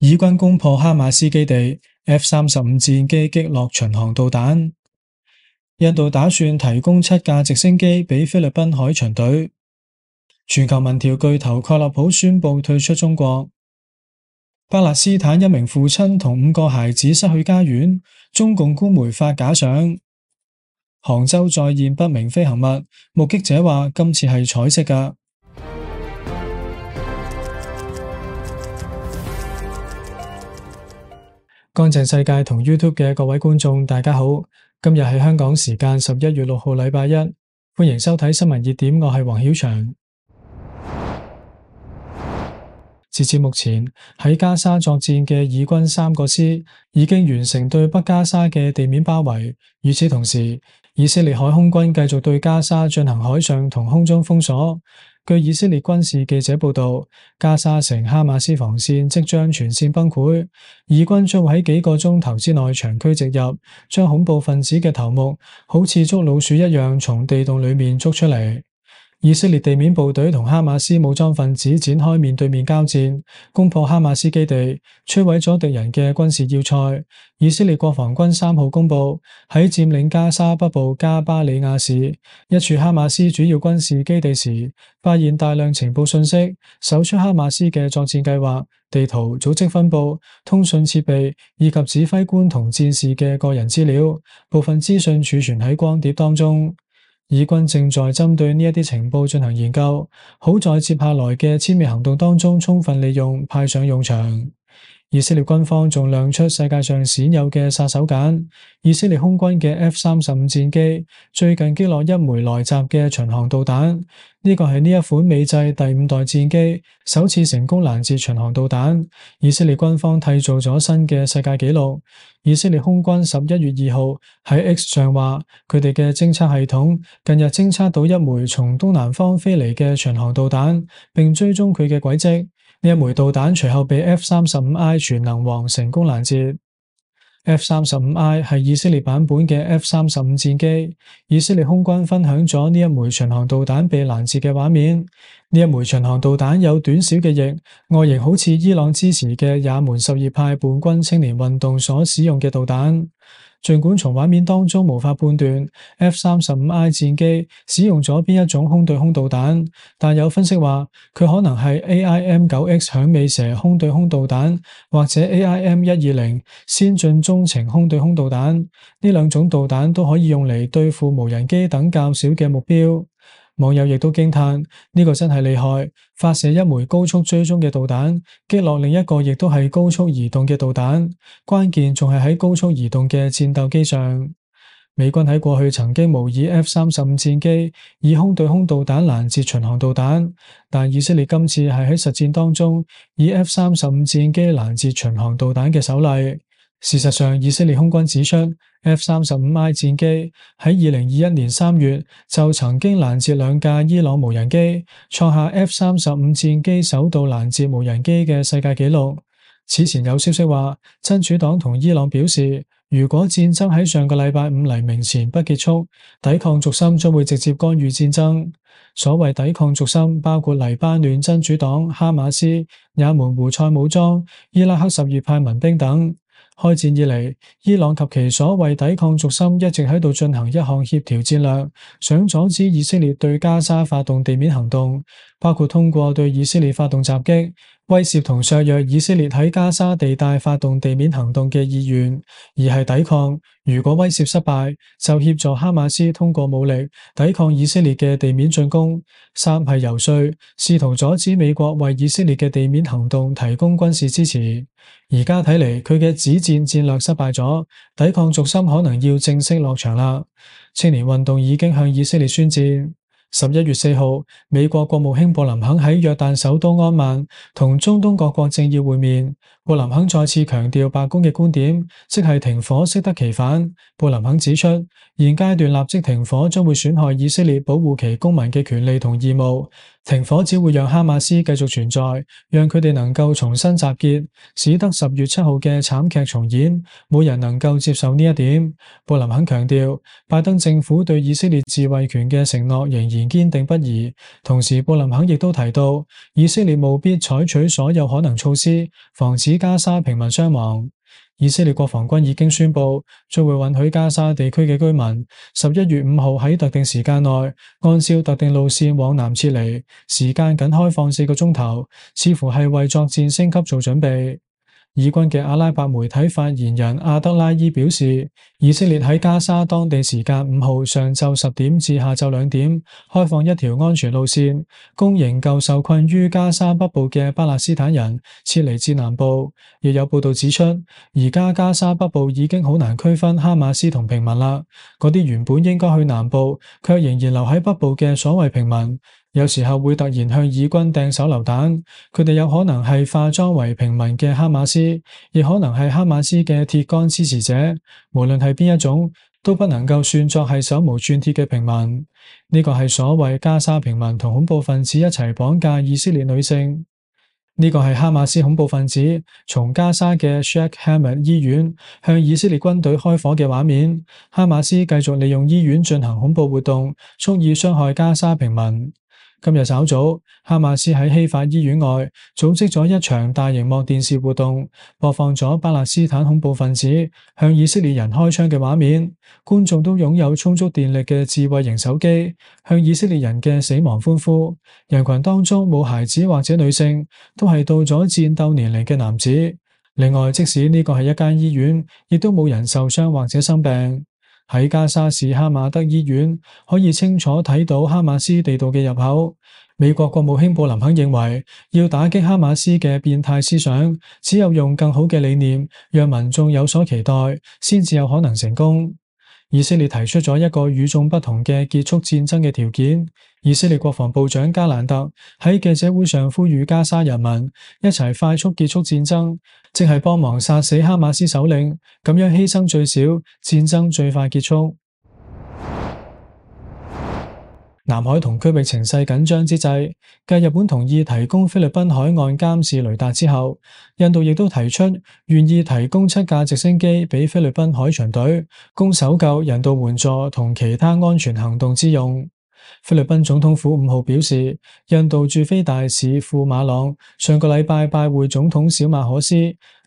以軍攻破哈馬斯基地 ，F-35戰機擊落巡航導彈。印度打算提供7架直升機俾菲律賓海巡隊。全球民調巨頭蓋勒普宣布退出中國。巴勒斯坦一名父親同5個孩子失去家園，中共官媒發假相。杭州再現不明飛行物，目擊者話今次係彩色㗎。乾淨世界同 YouTube 嘅各位觀眾，大家好，今日係香港時間11月6號禮拜一，歡迎收睇新聞熱點，我係黃曉翔。截至目前，喺加沙作戰嘅以軍3個師已經完成對北加沙嘅地面包圍。與此同時，以色列海空軍繼續對加沙進行海上同空中封鎖。據以色列軍事記者報道，加沙城哈馬斯防線即將全線崩潰，以軍將會喺幾個鐘頭之內長驅直入，將恐怖分子嘅頭目好似捉老鼠一樣從地洞裏面捉出嚟。以色列地面部隊同哈馬斯武裝分子展開面對面交戰，攻破哈馬斯基地，摧毀咗敵人嘅軍事要塞。以色列國防軍3號公佈，喺佔領加沙北部加巴里亞市一處哈馬斯主要軍事基地時，發現大量情報信息，搜出哈馬斯嘅作戰計劃、地圖、組織分佈、通訊設備以及指揮官同戰士嘅個人資料，部分資訊儲存喺光碟當中。以軍正在針對呢一啲情報進行研究，好在接下來嘅殲滅行動當中充分利用，派上用場。以色列軍方仲亮出世界上鮮有嘅殺手鐧，以色列空軍嘅 F-35戰機最近擊落一枚來襲嘅巡航導彈，呢個係呢一款美製第5代戰機首次成功攔截巡航導彈。以色列軍方締造咗新嘅世界紀錄。以色列空軍11月2號喺 X 上話，佢哋嘅偵測系統近日偵測到一枚從東南方飛嚟嘅巡航導彈，並追蹤佢嘅軌跡。呢一枚導彈隨後被 F-35I 全能王成功攔截。F-35I 係以色列版本嘅 F-35戰機。以色列空軍分享咗呢一枚巡航導彈被攔截嘅畫面。呢一枚巡航導彈有短小嘅翼，外形好似伊朗支持嘅也門什葉派叛軍青年運動所使用嘅導彈。儘管從畫面當中無法判斷 F-35I 戰機使用咗邊一種空對空導彈，但有分析話佢可能係 AIM-9X 響尾蛇空對空導彈，或者 AIM-120 先進中程空對空導彈。呢兩種導彈都可以用嚟對付無人機等較小嘅目標。網友亦都驚嘆，呢個真係厲害，發射一枚高速追蹤嘅導彈，擊落另一個亦都係高速移動嘅導彈，關鍵仲係喺高速移動嘅戰鬥機上。美軍喺過去曾經模擬 F-35戰機以空對空導彈攔截巡航導彈，但以色列今次係喺實戰當中以 F-35戰機攔截巡航導彈嘅首例。事實上，以色列空軍指出，F-35I 戰機喺2021年3月就曾經攔截2架伊朗無人機，創下 F-35戰機首度攔截無人機嘅世界紀錄。此前有消息話，真主黨同伊朗表示，如果戰爭喺上個禮拜5黎明前不結束，抵抗軸心將會直接干預戰爭。所謂抵抗軸心包括黎巴嫩真主黨、哈馬斯、也門胡塞武裝、伊拉克什葉派民兵等。開戰以嚟，伊朗及其所謂抵抗軸心一直喺度進行一項協調戰略，想阻止以色列對加沙發動地面行動，包括通過對以色列發動襲擊，威懾同削弱以色列喺加沙地帶發動地面行動嘅意願；二係抵抗，如果威懾失敗，就協助哈馬斯通過武力抵抗以色列嘅地面進攻；三係游說，試圖阻止美國為以色列嘅地面行動提供軍事支持。而家睇嚟，佢嘅止戰戰略失敗咗，抵抗軸心可能要正式落場啦。青年運動已經向以色列宣戰。11月4號，美國國務卿布林肯喺約旦首都安曼同中東各國政要會面。布林肯再次強調白宮嘅觀點，即係停火適得其反。布林肯指出，現階段立即停火將會損害以色列保護其公民嘅權利同義務。停火只會讓哈馬斯繼續存在，讓佢哋能夠重新集結，使得10月7號嘅慘劇重演。冇人能夠接受呢一點。布林肯強調，拜登政府對以色列自衛權嘅承諾仍然堅定不移。同時，布林肯亦都提到，以色列務必採取所有可能措施，防止加沙平民傷亡。以色列國防軍已經宣布，將會允許加沙地區嘅居民11月5號喺特定時間內，按照特定路線往南撤離，時間僅開放4個鐘頭，似乎係為作戰升級做準備。以軍嘅阿拉伯媒體發言人阿德拉伊表示，以色列喺加沙當地時間5號上晝10點至下晝2點開放一條安全路線，供營救受困於加沙北部嘅巴勒斯坦人撤離至南部。亦有報道指出，而家加沙北部已經好難區分哈馬斯同平民啦，嗰啲原本應該去南部，卻仍然留喺北部嘅所謂平民，有時候會突然向以軍掟手榴彈，佢哋有可能係化妝為平民嘅哈馬斯，亦可能係哈馬斯嘅鐵桿支持者。無論係邊一種，都不能夠算作係手無寸鐵嘅平民。呢個係所謂加沙平民同恐怖分子一齊綁架以色列女性。呢個係哈馬斯恐怖分子從加沙嘅 Sheikh Hamad 醫院向以色列軍隊開火嘅畫面。哈馬斯繼續利用醫院進行恐怖活動，蓄意傷害加沙平民。今日稍早，哈馬斯喺希法醫院外組織咗一場大熒幕電視活動，播放咗巴勒斯坦恐怖分子向以色列人開槍嘅畫面。觀眾都擁有充足電力嘅智慧型手機，向以色列人嘅死亡歡呼。人群當中冇孩子或者女性，都係到咗戰鬥年齡嘅男子。另外，即使呢個係一間醫院，亦都冇人受傷或者生病。喺加沙市哈馬德醫院可以清楚睇到哈馬斯地道嘅入口。美國國務卿布林肯認為，要打擊哈馬斯嘅變態思想，只有用更好嘅理念，讓民眾有所期待，先至有可能成功。以色列提出咗一個與眾不同嘅結束戰爭嘅條件。以色列國防部長加蘭特喺記者會上呼籲加沙人民一齊快速結束戰爭，即係幫忙殺死哈馬斯首領，咁樣犧牲最少，戰爭最快結束。南海同區域情勢緊張之際，繼日本同意提供菲律賓海岸監視雷達之後，印度亦都提出願意提供7架直升機俾菲律賓海巡隊，供搜救、人道援助同其他安全行動之用。菲律賓總統府5號表示，印度駐菲大使庫馬朗上個禮拜拜會總統小馬可斯。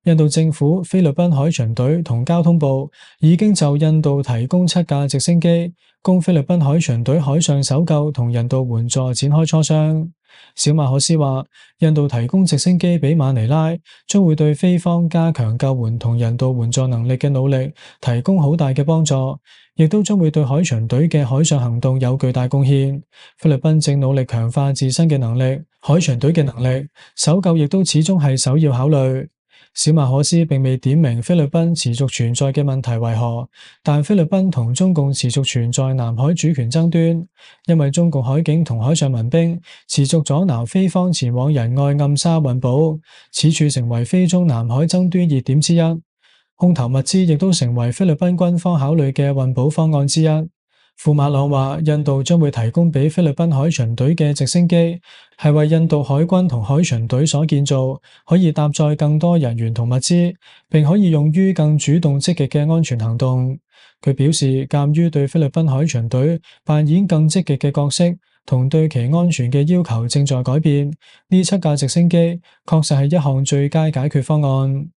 印度政府、菲律賓海巡隊同交通部已經就印度提供7架直升機，供菲律賓海巡隊海上搜救同人道援助展開磋商。小馬可斯話，印度提供直升機俾馬尼拉，將會對菲方加強救援同人道援助能力嘅努力提供好大嘅幫助，亦都將會對海巡隊嘅海上行動有巨大貢獻。菲律賓正努力強化自身嘅能力，海巡隊嘅能力，搜救亦都始終係首要考慮。小馬可斯並未點明菲律賓持續存在嘅問題為何，但菲律賓同中共持續存在南海主權爭端，因為中共海警同海上民兵持續阻撓菲方前往仁愛暗沙運補，此處成為菲中南海爭端熱點之一。空投物資亦都成為菲律賓軍方考慮嘅運補方案之一。庫馬朗話，印度將會提供俾菲律賓海巡隊嘅直升機，係為印度海軍同海巡隊所建造，可以搭載更多人員同物資，並可以用於更主動積極嘅安全行動。佢表示，鑒於對菲律賓海巡隊扮演更積極嘅角色，同對其安全嘅要求正在改變，呢7架直升機確實係一項最佳解決方案。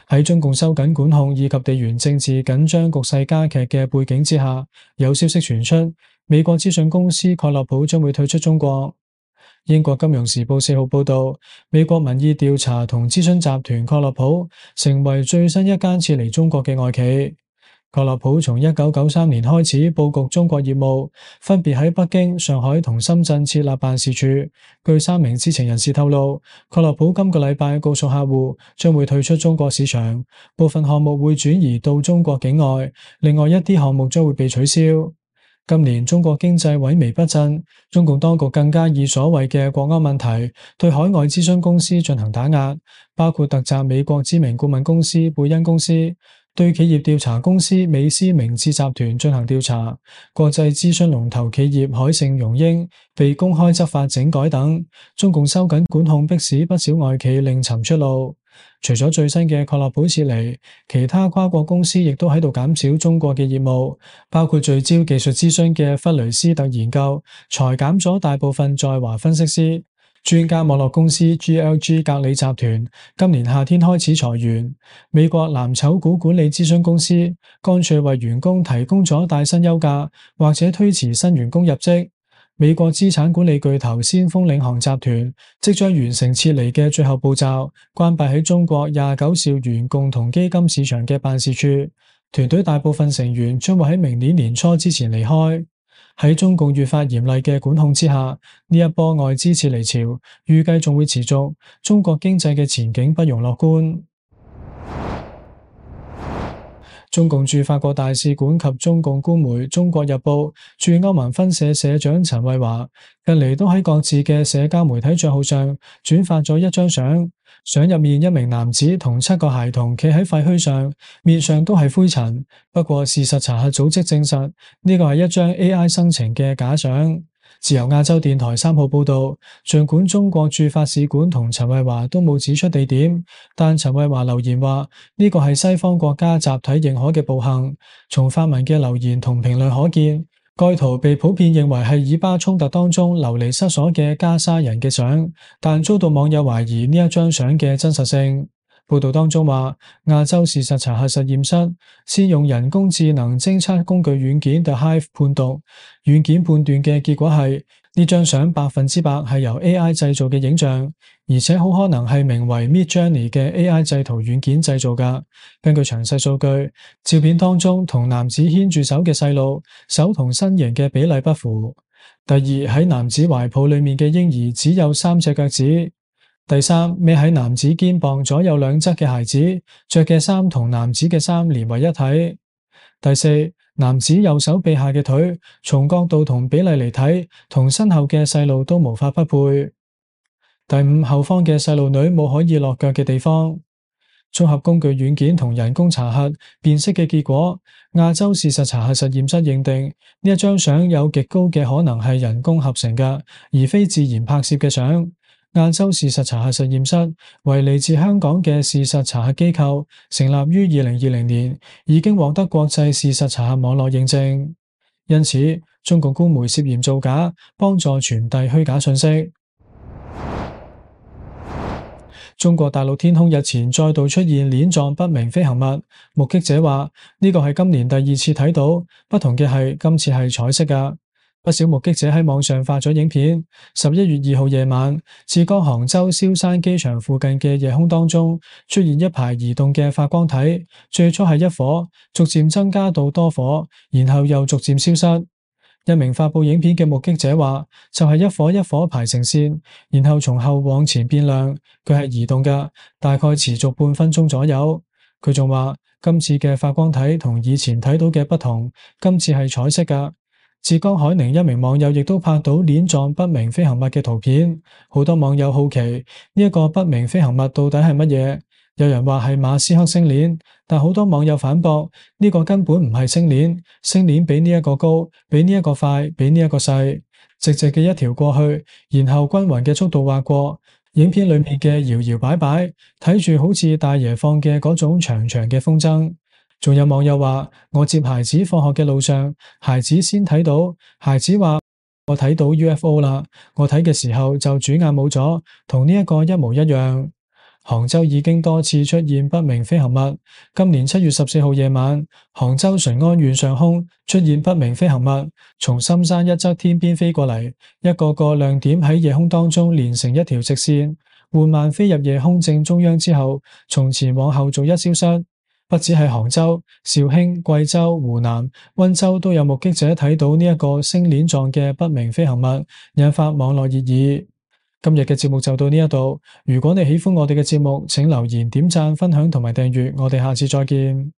喺中共收緊管控以及地緣政治緊張局勢加劇嘅背景之下，有消息傳出，美國資訊公司蓋洛普將會退出中國。英國金融時報4號報道，美國民意調查同諮詢集團蓋洛普成為最新一間撤離中國嘅外企。蓋洛普從1993年開始佈局中國業務，分別喺北京、上海同深圳設立辦事處。據3名知情人士透露，蓋洛普今個禮拜告訴客戶將會退出中國市場，部分項目會轉移到中國境外，另外一啲項目將會被取消。今年中國經濟萎靡不振，中共當局更加以所謂嘅國安問題對海外諮詢公司進行打壓，包括突襲美國知名顧問公司貝恩公司。對企業調查公司美思明智集團進行調查，國際諮詢龍頭企業海盛榮英被公開執法整改等，中共收緊管控迫使不少外企另尋出路。除咗最新嘅確立保撤離，其他跨國公司亦都喺度減少中國嘅業務，包括聚焦技術諮詢嘅弗雷斯特研究，裁減咗大部分在華分析師。專家網絡公司 GLG 格里集團今年夏天開始裁員。美國藍籌股管理諮詢公司乾脆為員工提供咗帶薪休假，或者推遲新員工入職。美國資產管理巨頭先鋒領航集團即將完成撤離嘅最後步驟，關閉喺中國29兆元共同基金市場嘅辦事處。團隊大部分成員將會喺明年年初之前離開。喺中共越發嚴厲嘅管控之下，呢一波外資撤離潮預計仲會持續，中國經濟嘅前景不容樂觀。中共駐法國大使館及中共官媒《中國日報》駐歐盟分社社長陳慧華近嚟都喺各自嘅社交媒體賬號上轉發咗一張相，相入面一名男子同7個孩童企喺廢墟上，面上都係灰塵。不過事實查核組織證實呢個係一張 AI 生成嘅假相。自由亞洲電台3號報道，儘管中國駐法使館同陳慧華都冇指出地點，但陳慧華留言話呢個係西方國家集體認可嘅暴行。從發文嘅留言同評論可見，該圖被普遍認為係以巴衝突當中流離失所嘅加沙人嘅相，但遭到網友懷疑呢一張相嘅真實性。報道當中話，亞洲事實查核實驗室先用人工智能偵測工具軟件 The Hive 判讀，軟件判斷嘅結果係呢張相100%係由 AI 製造嘅影像，而且好可能係名為 Midjourney 嘅 AI 製圖軟件製造㗎。根據詳細數據，照片當中同男子牽住手嘅細路，手同身形嘅比例不符。第二，喺男子懷抱裏面嘅嬰兒只有3隻腳趾。第三，孭喺男子肩膀左右兩側嘅孩子，着嘅衫同男子嘅衫連為一體。第四，男子右手臂下嘅腿，從角度同比例嚟睇，同身後嘅細路都無法匹配。第五，後方嘅細路女冇可以落腳嘅地方。綜合工具軟件同人工查核辨識嘅結果，亞洲事實查核實驗室認定呢一張相有極高嘅可能係人工合成嘅，而非自然拍攝嘅相。亞洲事實查核實驗室為嚟自香港嘅事實查核機構，成立於2020年，已經獲得國際事實查核網絡認證。因此，中共官媒涉嫌造假，幫助傳遞虛假信息。中國大陸天空日前再度出現鏈狀不明飛行物，目擊者話呢個係今年第2次睇到，不同嘅係今次係彩色㗎。不少目擊者喺網上發咗影片。11月2號夜晚，浙江杭州蕭山機場附近嘅夜空當中出現一排移動嘅發光體，最初係1顆，逐漸增加到多顆，然後又逐漸消失。一名發佈影片嘅目擊者話，就係1顆1顆排成線，然後從後往前變亮，佢係移動㗎，大概持續半分鐘左右。佢仲話，今次嘅發光體同以前睇到嘅不同，今次係彩色㗎。浙江海寧一名網友亦都拍到鏈狀不明飛行物嘅圖片，好多網友好奇呢一個不明飛行物到底係乜嘢？有人話係馬斯克星鏈，但好多網友反駁呢個根本唔係星鏈，星鏈比呢一個高，比呢一個快，比呢一個細，直直嘅一條過去，然後均勻嘅速度劃過。影片裏面嘅搖搖擺擺，睇住好似大爺放嘅嗰種長長嘅風箏。仲有網友話，我接孩子放學嘅路上，孩子先睇到，孩子話我睇到 UFO 啦，我睇嘅時候就轉眼冇咗，同呢一個一模一樣。杭州已經多次出現不明飛行物，今年7月14號夜晚，杭州淳安縣上空出現不明飛行物，從深山一側天邊飛過嚟，一個個亮點喺夜空當中連成一條直線，緩慢飛入夜空正中央之後，從前往後逐一消失。不止係杭州、肇慶、貴州、湖南、溫州都有目擊者睇到呢一個星鏈狀嘅不明飛行物，引發網絡熱議。今日嘅節目就到呢一度，如果你喜歡我哋嘅節目，請留言、點讚、分享同埋訂閱，我哋下次再見。